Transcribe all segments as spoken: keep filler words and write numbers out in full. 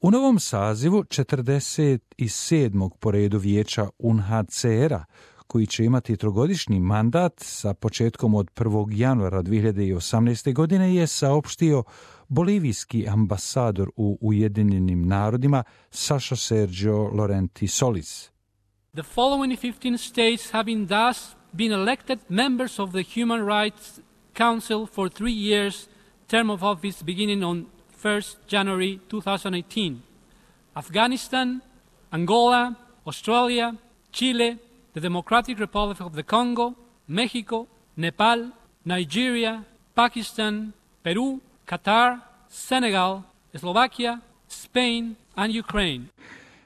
U novom sazivu četrdeset sedmog po redu vijeća U N H C R-a, koji će imati trogodišnji mandat sa početkom od prvog januara dvije hiljade osamnaeste. godine, je saopštio bolivijski ambasador u Ujedinjenim narodima Saša Sergio Laurenti Solis. The following fifteen states having thus been elected members of the Human Rights Council for three years, term of office beginning on first of January twenty eighteen. Afghanistan, Angola, Australia, Chile, the Democratic Republic of the Congo, Mexico, Nepal, Nigeria, Pakistan, Peru, Qatar, Senegal, Slovakia, Spain and Ukraine.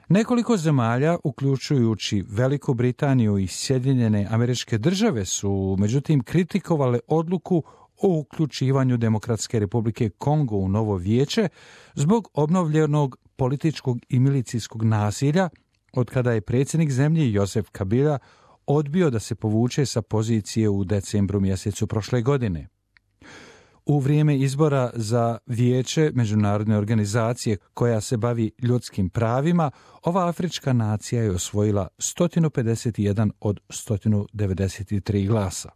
Nekoliko zemalja, uključujući Veliku Britaniju i Sjedinjene Američke Države, su međutim kritikovale odluku o uključivanju Demokratske Republike Kongo u novo vijeće zbog obnovljenog političkog i milicijskog nasilja od kada je predsjednik zemlje Josef Kabila odbio da se povuče sa pozicije u decembru mjesecu prošle godine. U vrijeme izbora za vijeće međunarodne organizacije koja se bavi ljudskim pravima, ova afrička nacija je osvojila sto pedeset jedan od sto devedeset tri glasa.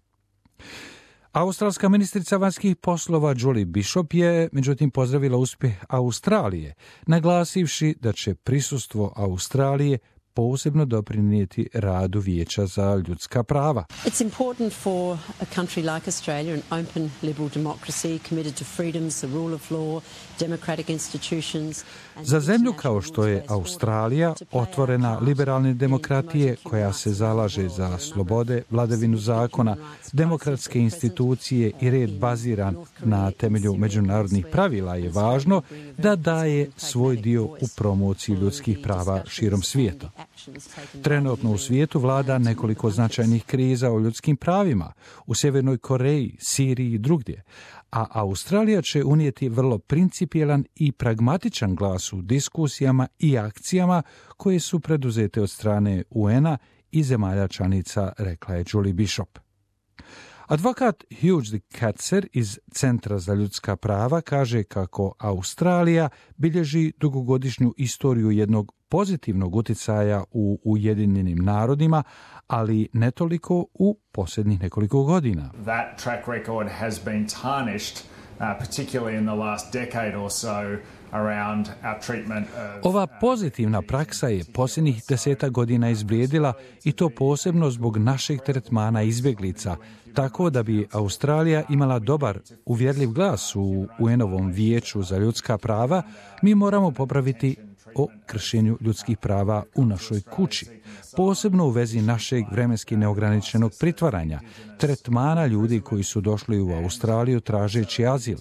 Australska ministrica vanjskih poslova Julie Bishop je međutim pozdravila uspjeh Australije, naglasivši da će prisustvo Australije posebno doprinijeti radu Vijeća za ljudska prava. It's important for a country like Australia, an open liberal democracy committed to freedoms, the rule of law, democratic institutions. Za zemlju kao što je Australija, otvorena liberalne demokratije koja se zalaže za slobode, vladavinu zakona, demokratske institucije i red baziran na temelju međunarodnih pravila, je važno da daje svoj dio u promociji ljudskih prava širom svijeta. Trenutno u svijetu vlada nekoliko značajnih kriza o ljudskim pravima u Sjevernoj Koreji, Siriji i drugdje, a Australija će unijeti vrlo principijelan i pragmatičan glas u diskusijama i akcijama koje su preduzete od strane U N-a i zemalja članica, rekla je Julie Bishop. Advokat Hugh de Ketzer iz Centra za ljudska prava kaže kako Australija bilježi dugogodišnju istoriju jednog pozitivnog utjecaja u Ujedinjenim narodima, ali ne toliko u posljednjih nekoliko godina. That track record has been tarnished, uh, particularly in the last decade or so. Ova pozitivna praksa je posljednjih deseta godina izblijedila i to posebno zbog našeg tretmana izbjeglica, tako da bi Australija imala dobar, uvjerljiv glas u U N-ovom vijeću za ljudska prava. Mi moramo popraviti o kršenju ljudskih prava u našoj kući, posebno u vezi našeg vremenski neograničenog pritvaranja, tretmana ljudi koji su došli u Australiju tražeći azil,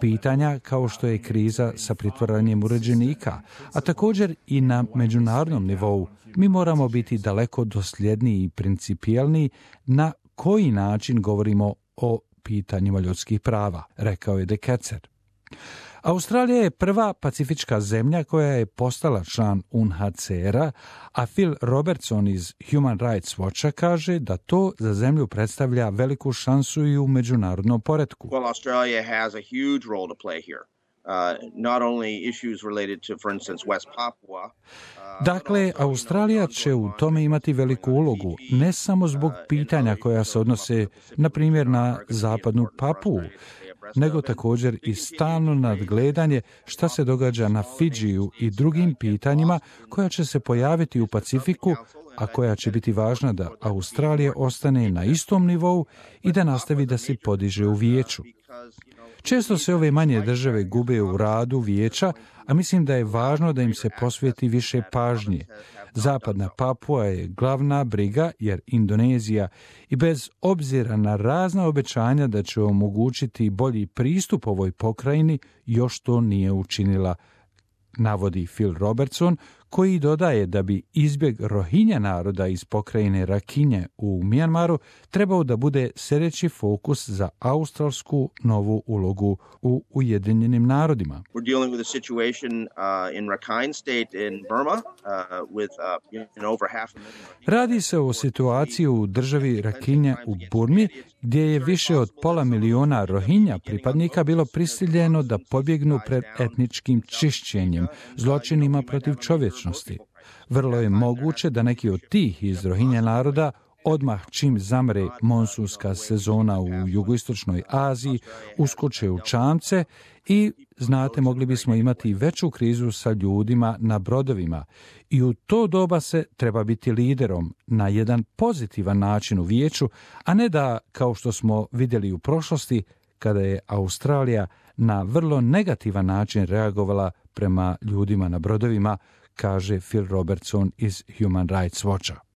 pitanja kao što je kriza sa pritvaranjem uređenika, a također i na međunarodnom nivou. Mi moramo biti daleko dosljedniji i principijelni na koji način govorimo o pitanjima ljudskih prava, rekao je de Ketzer. Australija je prva pacifička zemlja koja je postala član U N H C R-a, a Phil Robertson iz Human Rights Watcha kaže da to za zemlju predstavlja veliku šansu i u međunarodnom poretku. Well, Australia has a huge role to play here. Uh, not only issues related to, for instance, West Papua. Uh, dakle, Australija će u tome imati veliku ulogu, ne samo zbog pitanja koja se odnose, na primjer, na zapadnu Papuu, nego također i stalno nadgledanje šta se događa na Fidžiju i drugim pitanjima koja će se pojaviti u Pacifiku, a koja će biti važna da Australija ostane na istom nivou i da nastavi da se podiže u vijeću. Često se ove manje države gube u radu vijeća, a mislim da je važno da im se posveti više pažnje. Zapadna Papua je glavna briga jer Indonezija i bez obzira na razna obećanja da će omogućiti bolji pristup ovoj pokrajini još to nije učinila, navodi Phil Robertson, koji dodaje da bi izbjeg Rohingya naroda iz pokrajine Rakhine u Myanmaru trebao da bude sljedeći fokus za australsku novu ulogu u Ujedinjenim narodima. We're dealing with a situation uh, in Rakhine State in Burma uh, with uh, you know, over half a million. Radi se o situaciji u državi Rakhine u Burmi, gdje je više od pola miliona Rohingya pripadnika bilo prisiljeno da pobjegnu pred etničkim čišćenjem, zločinima protiv čovječnosti. Vrlo je moguće da neki od tih iz Rohingya naroda odmah čim zamre monsunska sezona u jugoistočnoj Aziji uskoče u čamce i, znate, mogli bismo imati veću krizu sa ljudima na brodovima. I u to doba se treba biti liderom na jedan pozitivan način u vijeću, a ne da, kao što smo vidjeli u prošlosti, kada je Australija na vrlo negativan način reagovala prema ljudima na brodovima, kaže Phil Robertson iz Human Rights Watcha.